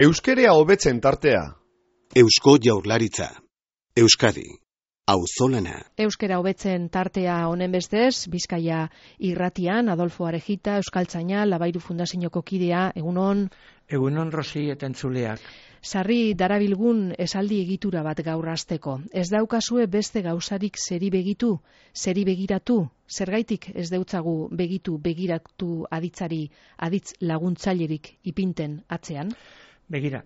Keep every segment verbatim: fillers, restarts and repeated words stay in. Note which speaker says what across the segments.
Speaker 1: Euskerea hobetzen tartea.
Speaker 2: Eusko Jaurlaritza. Euskadi. Auzolana.
Speaker 3: Euskera hobetzen tartea honen bestez, Bizkaia irratian, Adolfo Arejita, Euskaltzaina, Labairu Fundazioko kidea, egunon.
Speaker 4: Egunon Rosi eta entzuleak.
Speaker 3: Sarri darabilgun esaldi egitura bat gaur hasteko. Ez daukazue beste gauzarik zeri begitu, zeri begiratu, zergaitik ez deutzagu begitu begiratu aditzari, aditz laguntzailerik ipinten atzean?
Speaker 4: Begira,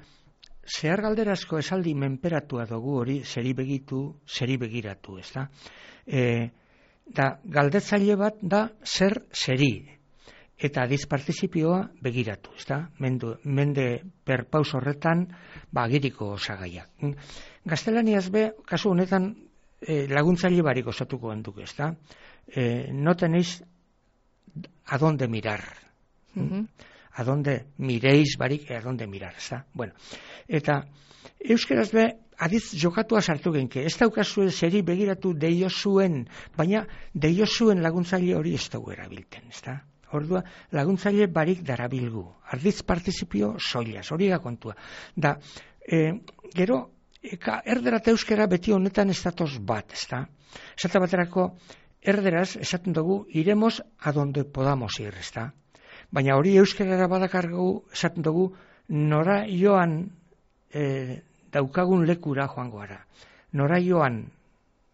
Speaker 4: zehar galderazko esaldi menperatua dugu hori zeri begitu, zeri begiratu, ez da? E, da, galdetzaile bat da zer zeri. Eta adiz partizipioa begiratu, ez da? Mende, mende perpaus horretan, ba, agiriko osagaiak. Gaztelaniaz be, kasu honetan, e, laguntzaile barik osatuko handuk, ez da? E, no tenéis a donde mirar.
Speaker 3: Uh-huh.
Speaker 4: A donde mireis barik, a donde mirar, ez da? Bueno, eta euskeraz be, adiz jokatua sartu genke, ez daukazue zeri begiratu deio zuen, baina deio zuen laguntzaile hori ez dugu erabilten, ez da? Ordua, laguntzaile barik darabilgu. Ardiz partizipio soilaz, hori da kontua. Da, e, gero, eka, erdera eta euskera beti honetan ez datoz bat, ez da? Esate baterako, erderaz, esaten dugu, iremos a donde podamos ir, ez da? Baina hori euskerara badakargu, esaten dugu, nora joan e, daukagun lekura joango gara. Nora joan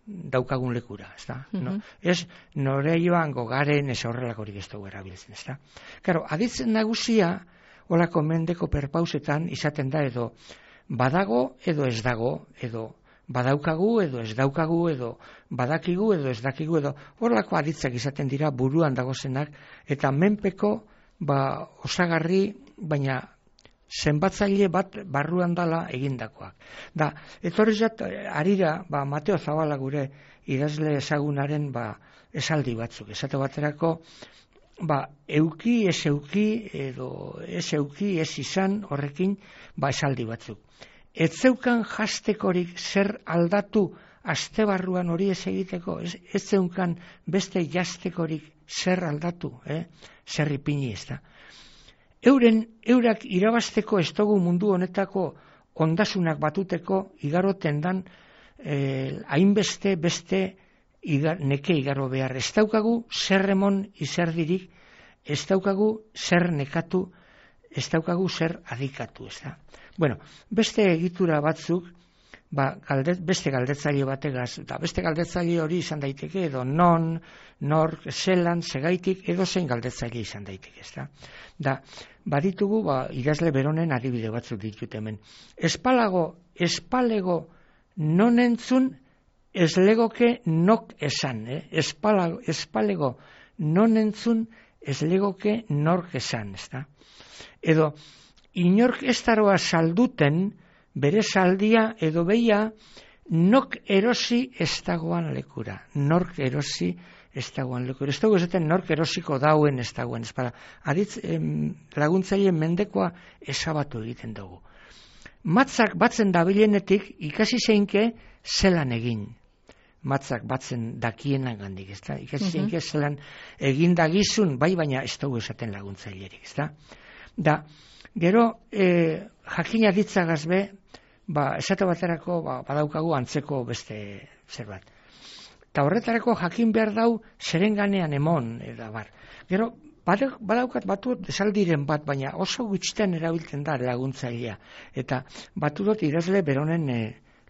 Speaker 4: daukagun lekura, ez da? Uh-huh. No? Ez, nora joan gogaren ez horrelakorik ez dugu erabiltzen, ez da? Karo, aditzen nagusia, holako mendeko perpausetan izaten da edo badago edo ez dago, edo badaukagu edo ez daukagu, edo badakigu edo ez dakigu, edo horrelako aditzak izaten dira buruan dagozenak, eta menpeko ba, osagarri, baina zenbatzaile bat barruan dala egindakoak. Da, etorrizat, arira, ba, Mateo Zabala gure idazle ezagunaren ba, esaldi batzuk. Esate baterako, ba, euki, ez euki, edo ez euki, ez izan horrekin, ba, esaldi batzuk. Ez zeukan jastekorik zer aldatu aste barruan hori ez egiteko, ez, ez zeukan beste jastekorik zer aldatu, eh? Zer ipini ez da. Euren, eurak irabazteko ez dugu mundu honetako ondasunak batuteko igaroten dan eh, hainbeste beste igar, neke igaro behar. Ez daukagu zer remon izerdirik, ez daukagu zer nekatu, ez daukagu zer adikatu, ez da. Bueno, beste egitura batzuk, ba, galdet, beste galdetzaile bategaz, da beste galdetzaile hori izan daiteke, edo non, nork, zelan, segaitik, edo zein galdetzaile izan daiteke, ez da. Da, baditugu, ba, idazle beronen adibide batzuk ditut hemen. Espalago, espalego non entzun, ez legoke nok esan, eh? Espalago, espalego non entzun, ez legoke nork esan, ez da. Edo, inork ez daroa salduten, bere saldia edo beia, nok erosi ez dagoan lekura. Nork erosi ez dagoan lekura. Ez dago esaten nork erosiko dauen ez dagoen. Ez para, aditz em, laguntzaile mendekoa esabatu egiten dugu. Matzak batzen dabilenetik ikasi zeinke zelan egin. Matzak batzen dakienan gandik, ez da? Ikasi zeinke uh-huh. zelan egin dagizun, bai baina ez dago esaten laguntzailerik, ez da? Da, gero, e, jakina ditzagaz be, ba, esate baterako ba, badaukagu antzeko beste zerbait. Eta horretarako jakin behar dau zerenganean emon, eta bar. Gero, badaukat batu esaldiren bat, baina oso gutxitan erabiltzen da laguntzailea. Eta batu dut idazle beronen e,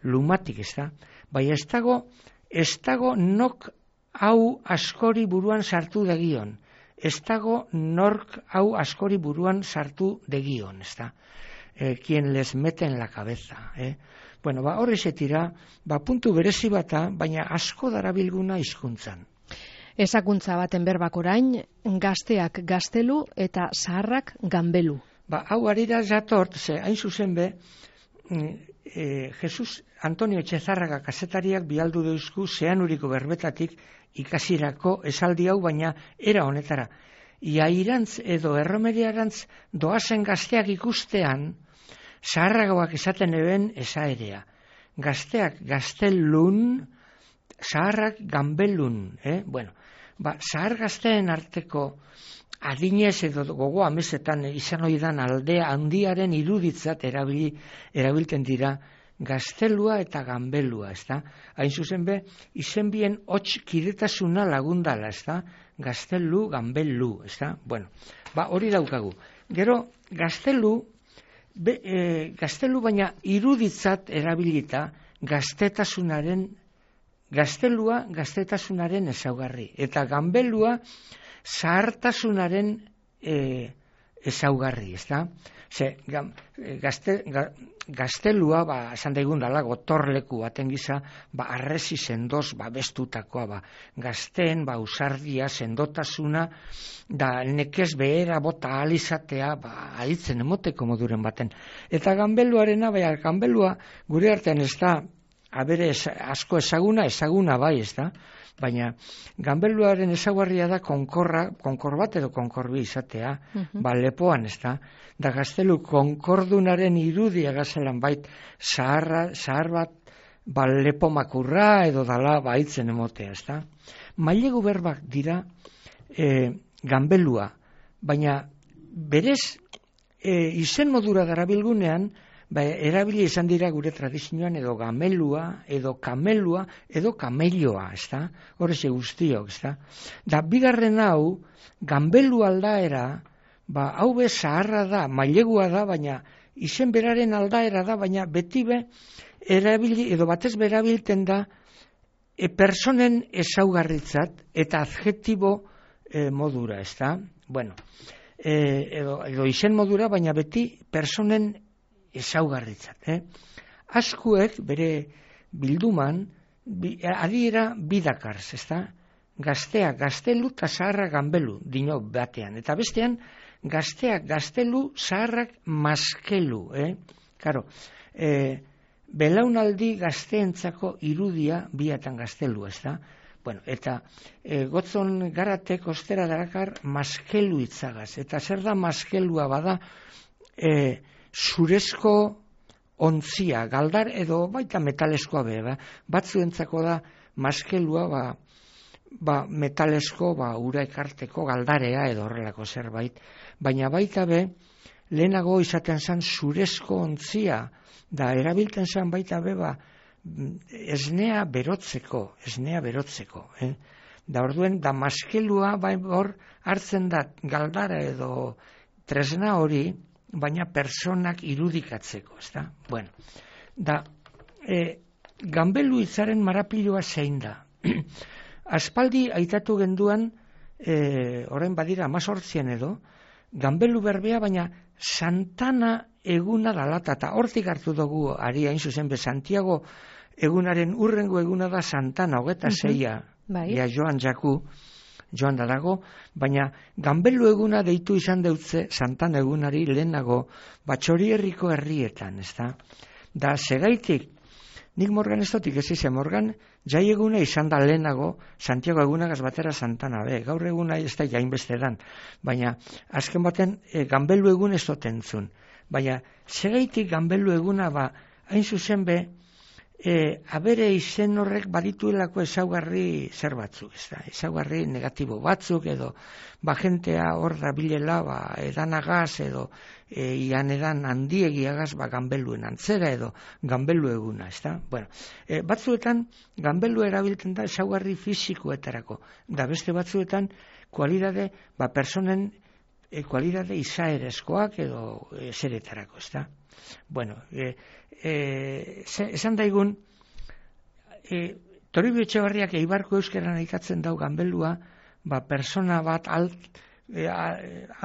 Speaker 4: lumatik, ez da? Baina ez dago, ez dago nok hau askori buruan sartu dagion. Ez dago nork hau askori buruan sartu degion, ez da? Eh, quien les mete en la cabeza. Eh? Bueno, ba, horre zetira, ba, puntu berezi bata, baina asko darabilguna hizkuntzan.
Speaker 3: Ezakuntza baten berbak orain, gazteak gaztelu eta zaharrak ganbelu.
Speaker 4: Ba, hau arira jatort, ze hain zuzen be, e, Jesus Antonio Etxezarraga kazetariak bialdu deuzku zeanuriko berbetatik ikasirako esaldi hau, baina era honetara. Iairantz edo erromeriarantz doazen gazteak ikustean, zaharragoak esaten eben esaerea. Gazteak gaztelun, zaharrak ganbelun. Eh? Bueno, ba, zahar gazteen arteko adinez edo gogo amesetan izan oidan aldea handiaren iruditzat erabili, erabilten dira gaztelua eta ganbelua, ezta? Hain zuzen be, izen bien hots kidetasuna lagundala, ezta? Gaztelu, ganbelu, ezta? Bueno, ba, hori daukagu. Gero, gaztelu, be, e, gaztelu baina iruditzat erabilita gaztetasunaren, gaztelua gaztetasunaren ezaugarri. Eta ganbelua zahartasunaren e, ezaugarri, ezta? Ze, gazte, ga, gaztelua, ba, esan daigun dala, gotorleku baten gisa, ba, arresi sendoz, ba, bestutakoa, ba, gazten, ba, usardia, sendotasuna, da, nekez behera bota alizatea, ba, alitzen emoteko moduren baten. Eta ganbeluarena, bai, ganbelua, gure artean ez da, abere ez, asko ezaguna, ezaguna bai, ez da, baina ganbeluaren ezaugarria da konkorra, konkor bat edo konkorbi izatea, uh-huh. ba, lepoan, ez da, da gaztelu konkordunaren irudia gazelan bait, zahar, zahar bat, ba, lepo makurra edo dala baitzen emotea, ez da. Mailegu berbak dira e, ganbelua, baina berez e, izen modura darabilgunean, ba, erabili izan dira gure tradizioan edo gamelua, edo kamelua, edo kamelloa, ez da? Horreze guztiok, ez da? Da, bigarren hau, ganbelu aldaera, ba, hau be zaharra da, mailegua da, baina izen beraren aldaera da, baina beti be, erabili, edo batez berabilten da, e, personen ezaugarritzat eta adjektibo e, modura, ez da? Bueno, e, edo, edo izen modura, baina beti personen ezaugarritzat. Eh? Askuek bere bilduman bi, adiera bidakarz, ezta? Gaztea gaztelu eta zaharra ganbelu dino batean. Eta bestean gaztea gaztelu zaharrak maskelu. Eh? Karo, eh, belaunaldi gazteentzako irudia biatan gaztelu, ezta? Bueno, eta e, gotzon garatek ostera darakar maskelu itzagaz. Eta zer da maskelua bada e, zurezko ontzia, galdar edo baita metaleskoa be, ba? Batzuentzako da maskelua ba, ba metalesko ba, ura ekarteko galdarea edo horrelako zerbait, baina baita be lehenago izaten zen zurezko ontzia, da erabilten zen baita be ba, esnea berotzeko, esnea berotzeko, eh? Da orduen, da maskelua bai hor hartzen da galdara edo tresna hori, baina personak irudikatzeko, ezta? Bueno, da, e, ganbelu hitzaren marapilua zein da. Aspaldi aitatu genduan, e, orain badira amazortzien edo, ganbelu berbea, baina Santana eguna dalata, eta hortik hartu dugu ari hain zuzen be, Santiago egunaren urrengo eguna da Santana, hogeta zeia, bai. Ja joan jaku, joan da dago, baina ganbelu eguna deitu izan deutze Santana egunari lehenago Batxorierriko herrietan, ez da? Da, segaitik, nik Morgan ez dotik ez izan, Morgan jai eguna izan da lehenago Santiago egunagaz batera Santana, be, gaur eguna ez da jainbeste dan, baina azken baten e, ganbelu egun ez dotentzun, baina segaitik ganbelu eguna ba, hain zuzen be, E, abere izen horrek badituelako ezaugarri zer batzuk, ez da, ezaugarri negatibo batzuk edo ba jentea hor da bilela ba, edanagaz edo e, ian edan handiegiagaz ba, ganbeluen antzera edo ganbelu eguna, ez da. Bueno, e, batzuetan ganbelu erabiltzen da ezaugarri fisikoetarako, da beste batzuetan kualidade, ba, personen e, kualidade izaerezkoak edo e, zeretarako, ez da. Bueno, e, e, esan daigun, e, Toribio Etxebarriak Eibarko euskeran aikatzen dau ganbelua, ba, persona bat alt, e, a,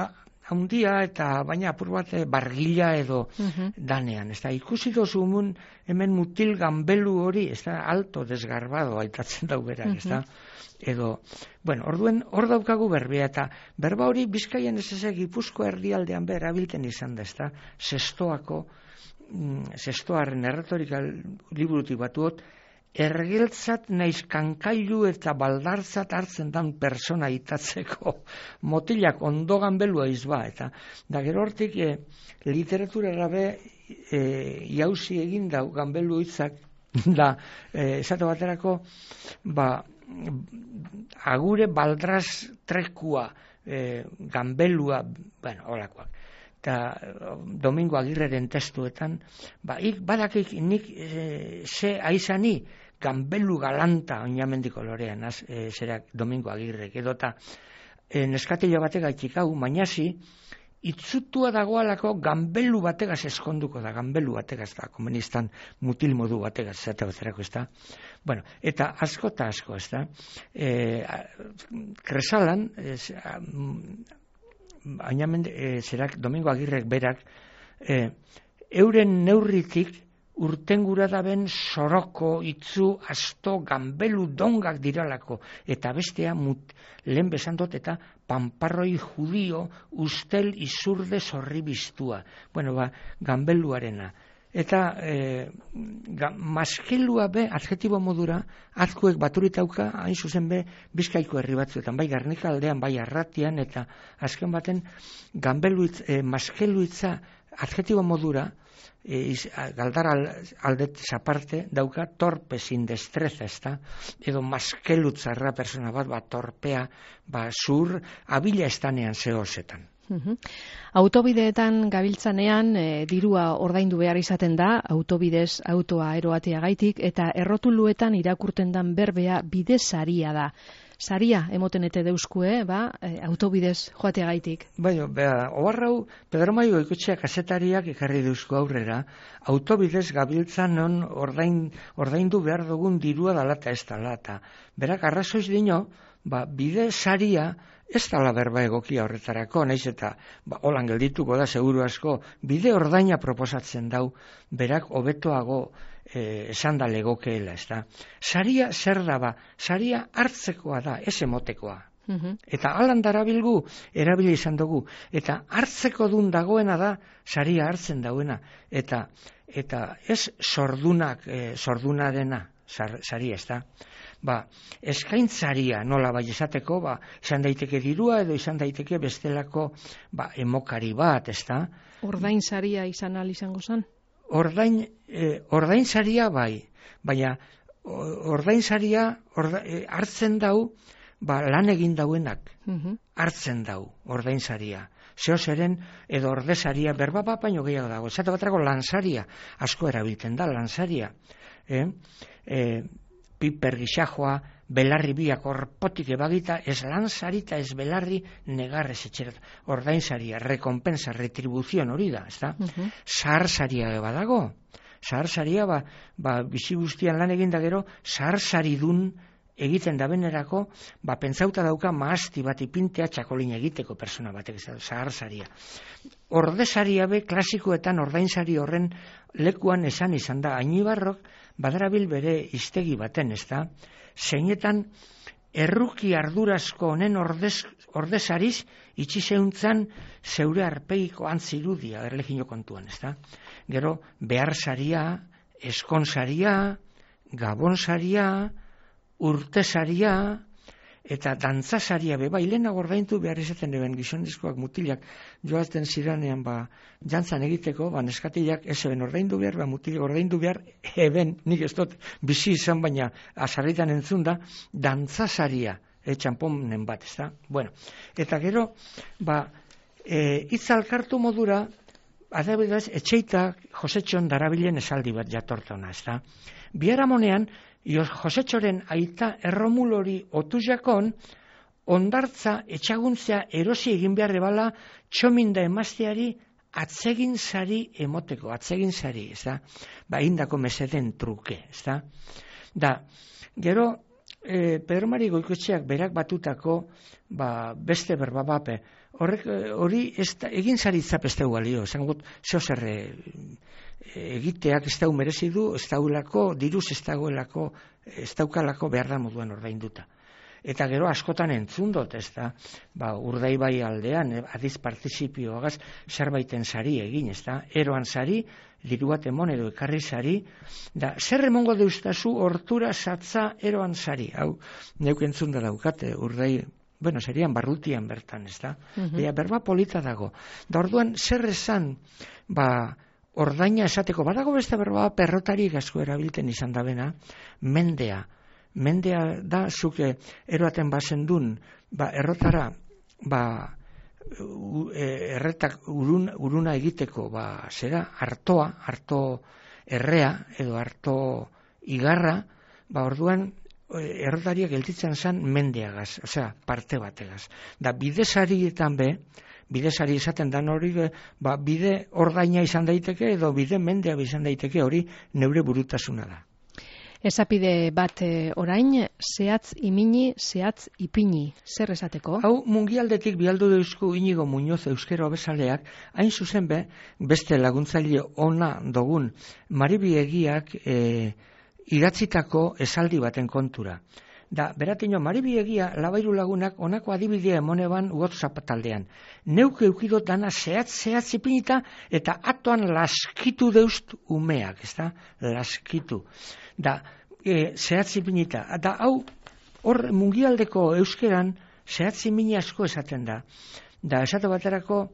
Speaker 4: a, handia eta baina apur bat bargila edo uh-huh. danean. Ez da, ikusi dozumun hemen mutil ganbelu hori, ez da, alto desgarbado aitatzen dau berak, uh-huh. ez da. Edo, bueno, orduen hor daukagu berbea eta berba hori Bizkaian ez ezek Gipuzko erdialdean behar abilten izan da, ez da, zestoako, mm, zestoaren erretorika liburutik batuot, ergeltzat naiz kankailu eta baldartzat hartzen dan persona itatzeko motilak ondo ganbelua izba, eta da gero hortik e, literaturara be e, jauzi egin dau ganbelu hitzak da, e, esate baterako, ba, agure baldraz trekua e, ganbelua, bueno, holakoak. Eta Domingo Agirreren testuetan, ba, ik badakik nik e, ze aizani ganbelu galanta oinamendiko lorean, az, e, zerak Domingo Agirrek, edota e, neskatilo batega itxikau, mainasi, itzutua dagoalako ganbelu bategaz eskonduko da, ganbelu bategaz da, komunistan mutil modu bategaz, zate bazerako, ez da. Bueno, eta asko eta asko, ez da. E, Kresalan, ez, añamende, e, zerak, Domingo Agirrek berak, e, euren neurritik urtengura daben soroko, itzu, asto, ganbelu dongak diralako, eta bestea mut, lehen besandot, eta panparroi judio, ustel izurde zorri biztua. Bueno, ba, ganbeluarena. Eta e, ga, maskelua be, adjetibo modura, azkuek baturitauka, hain zuzen be, Bizkaiko herri batzuetan, bai Garnika aldean, bai Arratian, eta azken baten, ganbeluitz, e, maskeluitza adjetibo modura, E, iz, galdar aldet aparte dauka torpe sin destreza, ezta? Edo maskelutzarra persona bat, ba, torpea, ba, zur, abila estanean zehozetan.
Speaker 3: Uhum. Autobideetan gabiltzanean e, dirua ordaindu behar izaten da, autobidez autoa eroatea gaitik, eta errotuluetan irakurten dan berbea bide saria da. Saria emoten ete deuskue, ba, e, autobidez joatea gaitik.
Speaker 4: Bai, beha, obarrau, Pedro Maio Goikoetxea kazetariak ekarri deuzko aurrera, autobidez gabiltzan non ordain, ordaindu behar dugun dirua dalata ez dalata. Berak, arrazoiz dino, ba, bide saria ez dala berba egokia horretarako, naiz eta ba, holan geldituko da, seguru asko, bide ordaina proposatzen dau, berak hobetoago eh, esan da legokeela, ez da. Saria zer da ba, saria hartzekoa da, ez emotekoa. Uhum. Eta alan darabilgu, erabili izan dugu, eta hartzeko dun dagoena da, saria hartzen dauena, eta, eta ez sordunak, eh, sordunarena, saria, ez da. Ba, eskaintzaria nola bai esateko, ba, izan daiteke dirua edo izan daiteke bestelako ba, emokari bat, ez da?
Speaker 3: Ordain saria izan al izango zen?
Speaker 4: Ordain, eh, ordain saria bai, baina ordain saria orda, eh, hartzen dau, ba, lan egin dauenak, uh-huh. hartzen dau, ordain saria. Zeo zeren, edo ordesaria, berba bat baino gehiago dago. Esate batrako lansaria, asko erabiltzen da, lansaria. Eh? Eh, piper gixajoa, belarri biak orpotik ebagita, ez lansarita, ez belarri negarrez etxerat. Ordainsaria, rekompensa, retribuzion hori da, ez da? Uh-huh. Zaharsaria badago. Zaharsaria, ba, ba, bizi guztian lan egin da gero, zaharsaridun egiten da benerako, ba, pentsauta dauka maasti bat ipintea txakolin egiteko persona batek, zaharsaria. Ordesaria be, klasikoetan ordainsari horren lekuan esan izan da, Ainibarrok badarabil bere hiztegi baten, ez da, zeinetan erruki ardurazko honen ordez, ordezariz itxi zeuntzan zeure arpeiko antzirudia erlegino kontuan, ez da. Gero, beharsaria, eskonsaria, gabonsaria, urtesaria, eta dantzasaria be, bai, lehenago ordaintu behar izaten eben gizonezkoak mutilak joazten ziranean, ba, jantzan egiteko, ba, neskatilak ez eben ordaindu behar, ba, mutilak ordaindu behar, eben, nik ez dut bizi izan, baina azarritan entzun da, dantzasaria, e, txamponen bat, ez da? Bueno, eta gero, ba, e, itzalkartu modura, adabidaz, etxeitak Josetxon darabilen esaldi bat jatortona, ez da? Biharamonean, Josetxoren aita erromulori otujakon, ondartza etxaguntzea erosi egin behar ebala txominda emazteari atzegin sari emoteko, atzegin sari, ez da? Ba, indako meseden truke, ez da? Da, gero, e, Pedro Mari Goikoetxeak berak batutako, ba, beste berba bape, horrek, hori egin sari zap ez dugu alio, esan gut, zeo zerre, egiteak ez dau merezi du, ez daulako, diruz ez dagoelako, ez daukalako behar da moduan ordainduta. Eta gero askotan entzun dut, ez da, ba, Urdaibai aldean, adiz partizipioagaz, zerbaiten sari egin, ez da, eroan sari, diru bat emon edo ekarri sari, da, zer emongo deustazu hortura satza eroan sari, hau, neuk entzun da daukate, Urdai, bueno, serian barrutian bertan, ez da, uh-huh. Bea, berba polita dago, da orduan, zer esan, ba, ordaina esateko, badago beste berba perrotarik asko erabilten izan da bena, mendea. Mendea da, zuke eroaten bazen dun, ba, errotara ba, erretak urun, uruna egiteko, ba, zera, artoa, arto errea, edo arto igarra, ba, orduan, errotariak gelditzen zen mendeagaz, osea, parte bategaz. Da, bidesarietan be, bidesari esaten dan hori, ba, bide ordaina izan daiteke, edo bide mendea izan daiteke, hori neure burutasuna da.
Speaker 3: Esapide bat e, orain, zehatz imini, zehatz ipini, zer esateko?
Speaker 4: Hau, mungialdetik bialdu deuzku Inigo Muñoz euskero abezaleak, hain zuzen be, beste laguntzaile ona dogun, Maribi Egiak e, idatzitako esaldi baten kontura. Da, beratino, Maribi Egia labairu lagunak onako adibidea emoneban WhatsApp taldean. Neuk eukidot dana zehatz, zehatz ipinita, eta atoan laskitu deust umeak, ez da? Laskitu. Da, e, zehatz ipinita. Da, hau, hor mungialdeko euskeran zehatz ipini asko esaten da. Da, esate baterako,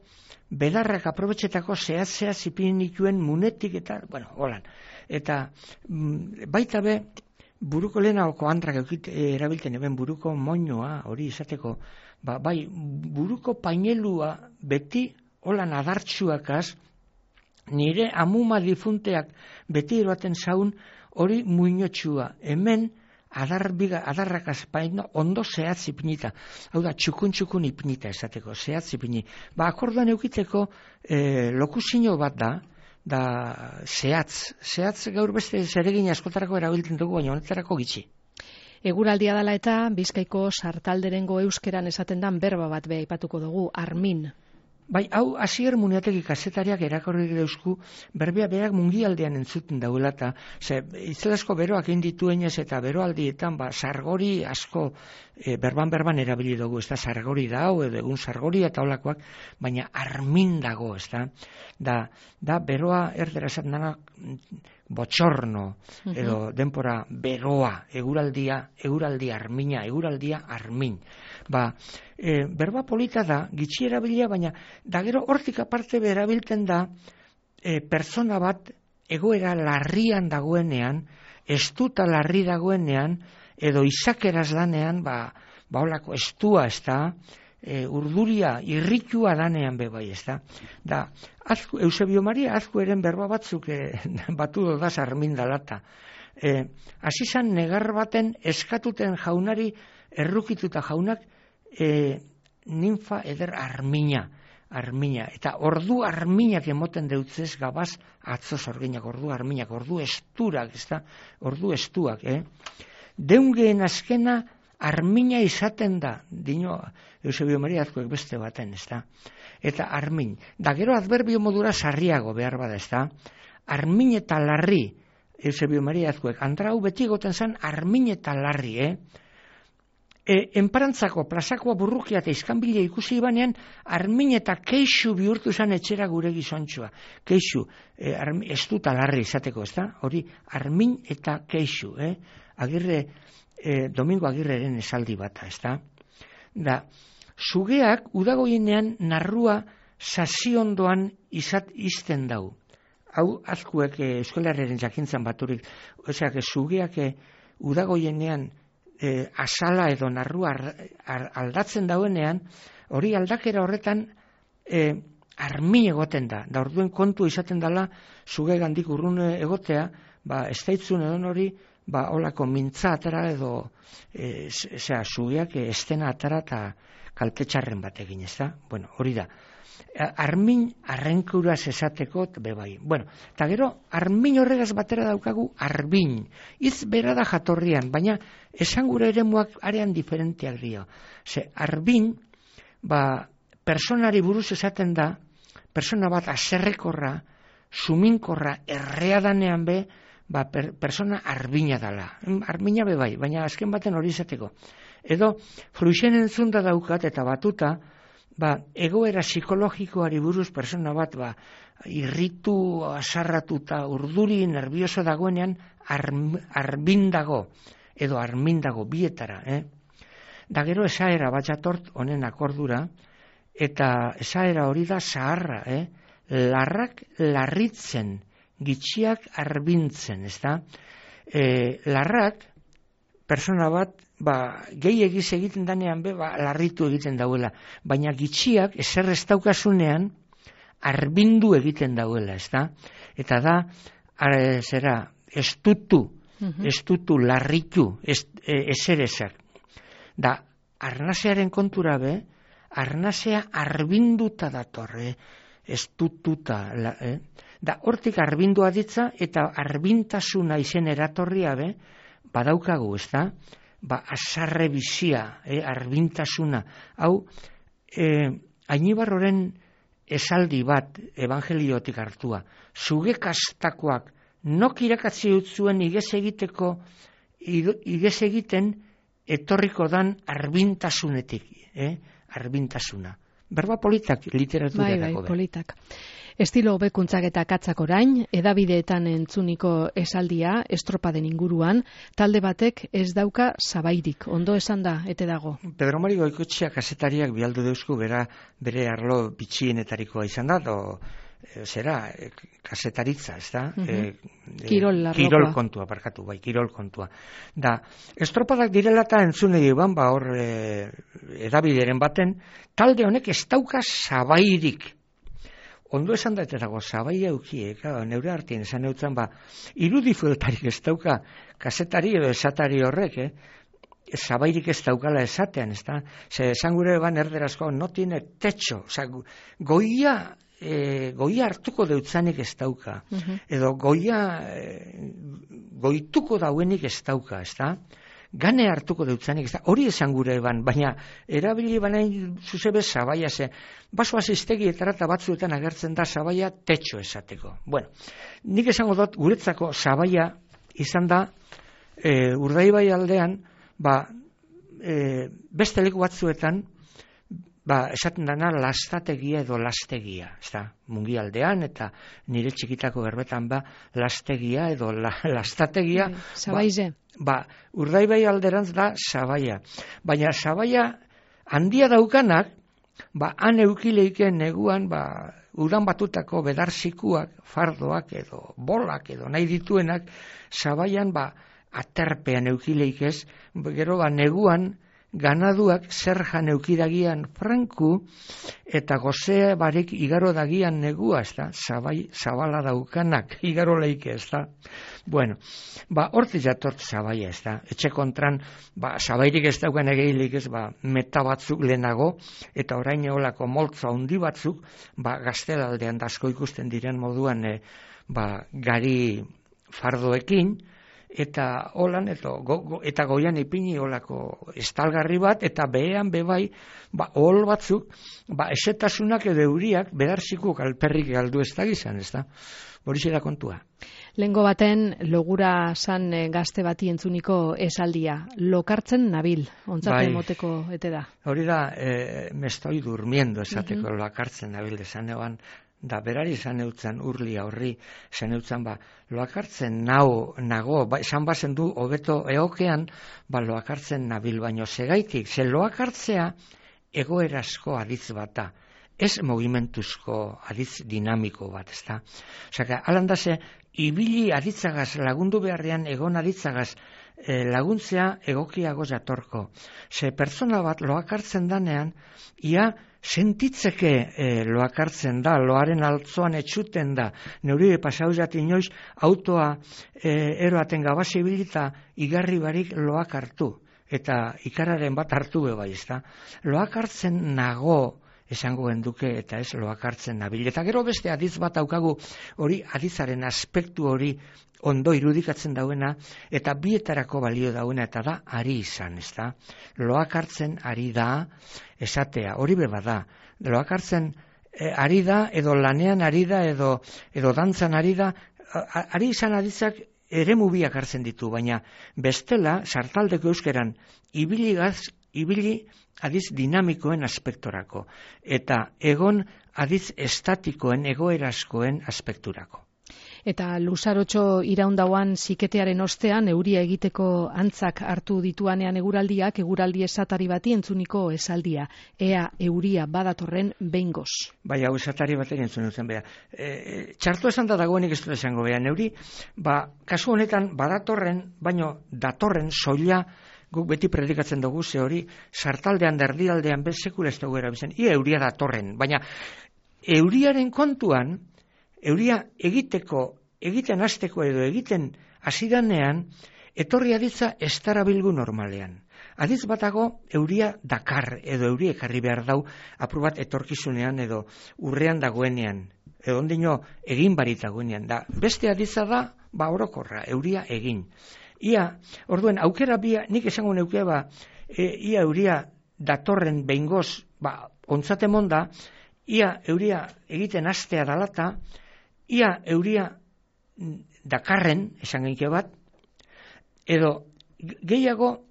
Speaker 4: belarrak aprobetxetako zehatz, zehatz ipinituen munetik eta, bueno, holan. Eta baita be, buruko lehenako andrak erabilten eben buruko moñoa hori izateko, ba, bai, buruko painelua beti holan adartsuakaz, nire amuma difunteak beti eroaten zaun hori muinotxua. Hemen adarbiga, adarrakaz paino ondo zehatz ipinita. Hau da, txukun-txukun ipinita esateko, zehatz ipini. Ba, akorduan eukiteko eh, lokuzio bat da, da zehatz, zehatz gaur beste zeregin askotarako erabiltzen dugu, baina honetarako gitxi.
Speaker 3: Eguraldia dela eta Bizkaiko sartalderengo euskeran esaten dan berba bat be aipatuko dugu, armin.
Speaker 4: Bai, hau Asier Muniategi kazetariak erakorri deusku, berbea berak mungialdean entzuten dauela, eta ze, itzelasko beroak indituenez eta beroaldietan, ba, sargori asko e, berban-berban erabili dugu, ez da, sargori da hau, edo egun sargori eta olakoak, baina armin dago, ez da, da, da beroa erdera esaten dana botxorno, edo denpora beroa, eguraldia, eguraldia armina, eguraldia armin. Ba, e, berba polita da, gitxi erabilia, baina da gero hortik aparte berabilten da e, pertsona bat egoera larrian dagoenean, estuta larri dagoenean, edo izakeraz danean, ba, ba holako estua ez da, e, urduria, irritua danean bebai ez da. Da, azku, Eusebio Maria Azkueren berba batzuk e, batu dodaz armin dalata. E, Azizan negar baten eskatuten jaunari errukituta jaunak e, ninfa eder armina, armina, eta ordu arminak emoten deutzez gabaz atzo zorginak, ordu arminak, ordu esturak, ez da, ordu estuak, eh? Deungeen azkena armina izaten da, dino Eusebio Maria Azkuek beste baten, ez da, eta armin, da gero adverbio modura sarriago behar bada, ez da, armin eta larri, Eusebio Maria Azkuek, andrau beti goten zan armin eta larri, eh? E, enparantzako plazakoa burrukia eta izkanbila ikusi banean, armin eta keixu bihurtu zen etxera gure gizontxua. Keixu, e, armi, ez dut alarri izateko, ez da? Hori, armin eta keixu, eh? Agirre, e, Domingo Agirreren esaldi bata, ez da? Da, sugeak udagoienean narrua saziondoan izat izten dau. Hau, azkuek e, Euskalarren jakintzan baturik, ozeak, sugeak e, udagoienean E, asala edo narrua aldatzen dauenean, hori aldakera horretan e, armin egoten da. Da orduen kontu izaten dela, zuge gandik urrun egotea, ba, ez daitzun edo hori, ba, holako mintza atara edo, e, zera, zugeak estena atara eta kaltetxarren bat egin, ez da? Bueno, hori da. Armin arrenkuraz esateko bebai. Bueno, eta gero, armin horregaz batera daukagu arbin. Iz bera da jatorrian, baina esan gure eremuak arean diferenteak dio. Ze, arbin, ba, personari buruz esaten da, persona bat aserrekorra, suminkorra, errea danean be, ba, per, persona arbina dala. Arbina bebai, baina azken baten hori esateko. Edo, fruixen entzunda daukat eta batuta, ba, egoera psikologikoari buruz persona bat, ba, irritu, asarratuta, urduri, nervioso dagoenean, arm, arbindago, edo armindago, bietara, eh? Da gero esaera bat jatort honen akordura, eta esaera hori da zaharra, eh? Larrak larritzen, gitxiak arbintzen, ez da? E, larrak, persona bat, ba, gehi egiz egiten danean be, ba, larritu egiten dauela. Baina gitxiak, ezer ez daukasunean, arbindu egiten dauela, ez da? Eta da, are, zera, estutu, uh-huh. estutu, larritu, ez, e, ezer ezak. Da, arnasearen kontura be, arnasea arbinduta datorre, estututa, la, eh? Da, hortik arbindua ditza, eta arbintasuna izen eratorria be, badaukagu, ez da? Ba, azarre bizia, eh? arbintasuna. Hau, eh, Ainibarroren esaldi bat evangeliotik hartua. Zuge kastakoak nok irakatzi utzuen igez egiteko, igez egiten etorriko dan arbintasunetik, eh? arbintasuna. Berba politak literaturarako.
Speaker 3: Bai, bai, politak. Estilo hobekuntzak eta katzak orain, edabideetan entzuniko esaldia, estropaden inguruan, talde batek ez dauka zabairik, ondo esan da, ete dago.
Speaker 4: Pedro Mari Goikoetxea kazetariak bialdu deusku bera bere arlo bitxienetarikoa izan da, do, e, zera, e, kazetaritza, ez da?
Speaker 3: Uh-huh.
Speaker 4: e,
Speaker 3: kirol,
Speaker 4: e, kirol kontua, parkatu, bai, kirol kontua. Da, estropadak direla eta entzune diban, ba hor e, edabideren baten, talde honek ez dauka zabairik. Ondo esan da eta dago, zabai eukiek, neure hartien esan eutzen, ba, irudifueltarik ez dauka, kasetari edo esatari horrek, eh? Zabairik ez daukala esatean, ez da? Ze esan gure ban erderazko, no tiene techo, oza, goia, e, goia hartuko deutzanik ez dauka, uh-huh. edo goia, e, goituko dauenik ez dauka, ez da? Gane hartuko deutzanik, ez da, hori esan gure eban, baina erabili banain zuzebe zabaia ze, baso asiztegietara eta batzuetan agertzen da zabaia tetxo esateko. Bueno, nik esango dut guretzako zabaia izan da e, Urdaibai aldean, ba, e, beste leku batzuetan, ba, esaten dana lastategia edo lastegia, ez da, mungi aldean eta nire txikitako berbetan ba, lastegia edo la, lastategia.
Speaker 3: Zabaize.
Speaker 4: Ba, ba, Urdaibai alderantz da zabaia. Baina zabaia handia daukanak, ba, han eukileiken neguan, ba, udan batutako bedarzikuak, fardoak edo bolak edo nahi dituenak, zabaian, ba, aterpean eukileik ez, gero, ba, neguan, ganaduak zer jan eukidagian franku, eta gozea barik igaro dagian negua, ez da, zabai, zabala daukanak, igaro leike, ez da. Bueno, ba, horti jatort zabaia, ez da, etxe kontran, ba, zabairik ez daukan egeilik ez, ba, meta batzuk lehenago, eta orain eolako moltzo handi batzuk, ba, gaztelaldean dasko ikusten diren moduan, e, ba, gari fardoekin, eta holan, eta, go, go, eta goian ipini olako estalgarri bat, eta behean bebai, ba, hol batzuk, ba, esetasunak edo euriak, bedarzikuk alperrik galdu ez da gizan, ez da? Horixe da kontua.
Speaker 3: Lengo baten, logura san gazte bati entzuniko esaldia, lokartzen nabil, ontzate bai, moteko ete da.
Speaker 4: Hori da, e, me estoy durmiendo esateko, uh-huh. lokartzen nabil, esan eban, da berari esan eutzen urlia horri, esan eutzen ba, loakartzen nao, nago, ba, esan bazen du, hobeto eokean, ba, loakartzen nabil, baino segaitik, ze loakartzea egoerazko aditz bat da, ez mogimentuzko aditz dinamiko bat, ez da. Osaka, alandase, ibili aditzagaz, lagundu beharrean egon aditzagaz, e, laguntzea egokiago jatorko. Ze pertsona bat loakartzen danean, ia, sentitzeke e, loakartzen da, loaren altzoan etxuten da, neurire pasauzat inoiz, autoa e, eroaten gabazi bilita, igarri barik loak hartu, eta ikararen bat hartu bebai, ez da. Loakartzen nago, esango genduke, eta ez loakartzen nabil. Eta gero beste adiz bat aukagu, hori adizaren aspektu hori ondo irudikatzen dauena, eta bietarako balio dauena, eta da ari izan, ez da. Loakartzen ari da, esatea, hori beba da. Loakartzen e, ari da, edo lanean ari da, edo, edo dantzan ari da, a, ari izan aditzak ere mubiak hartzen ditu, baina bestela, sartaldeko euskeran, ibiligaz, ibili adiz dinamikoen aspektorako, eta egon adiz estatikoen, egoerazkoen aspekturako.
Speaker 3: Eta luzarotxo iraundauan ziketearen ostean, euria egiteko antzak hartu dituanean eguraldiak, eguraldi esatari bati entzuniko esaldia. Ea euria badatorren behingoz.
Speaker 4: Bai, hau esatari batean entzun duzen beha. E, txartu esan da dagoenik ez dut esango beha. Neuri, ba, kasu honetan badatorren, baino datorren soila guk beti predikatzen dugu, ze hori sartaldean, derdialdean, bez sekula ez dugu erabizen. Ia euria datorren, baina euriaren kontuan, euria egiteko, egiten hasteko edo egiten hasidanean, etorri aditza ez darabilgu normalean. Aditz batago euria dakar edo euria ekarri behar dau apur bat etorkizunean edo urrean dagoenean, edo ondino egin barit dagoenean. Da, beste aditza da, ba orokorra, euria egin. Ia, orduen, aukera bia, nik esango neuke ba, e, ia euria datorren behingoz, ba, ontzate monda, ia euria egiten hastea dalata, ia euria dakarren, esan genike bat, edo gehiago,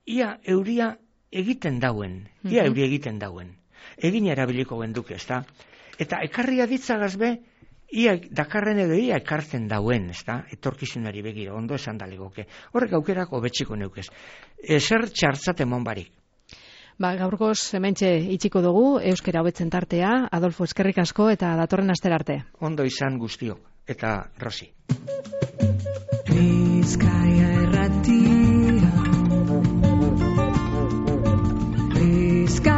Speaker 4: ia euria egiten dauen, ia
Speaker 3: Mhm.
Speaker 4: euria egiten dauen. Egin erabiliko genduke, ezta? Eta ekarria ditzagaz be, ia dakarren edo ia ekartzen dauen, ezta? Etorkizunari begira, ondo esan dalegoke. Horrek aukerak hobetsiko neukez. Ezer txartzat emon barik.
Speaker 3: Ba, gaurkoz hementxe itxiko dugu, euskera hobetzen tartea, Adolfo eskerrik asko eta datorren astera arte.
Speaker 4: Ondo izan guztiok, eta Rosi.
Speaker 5: Bizkaia erratia Bizkaia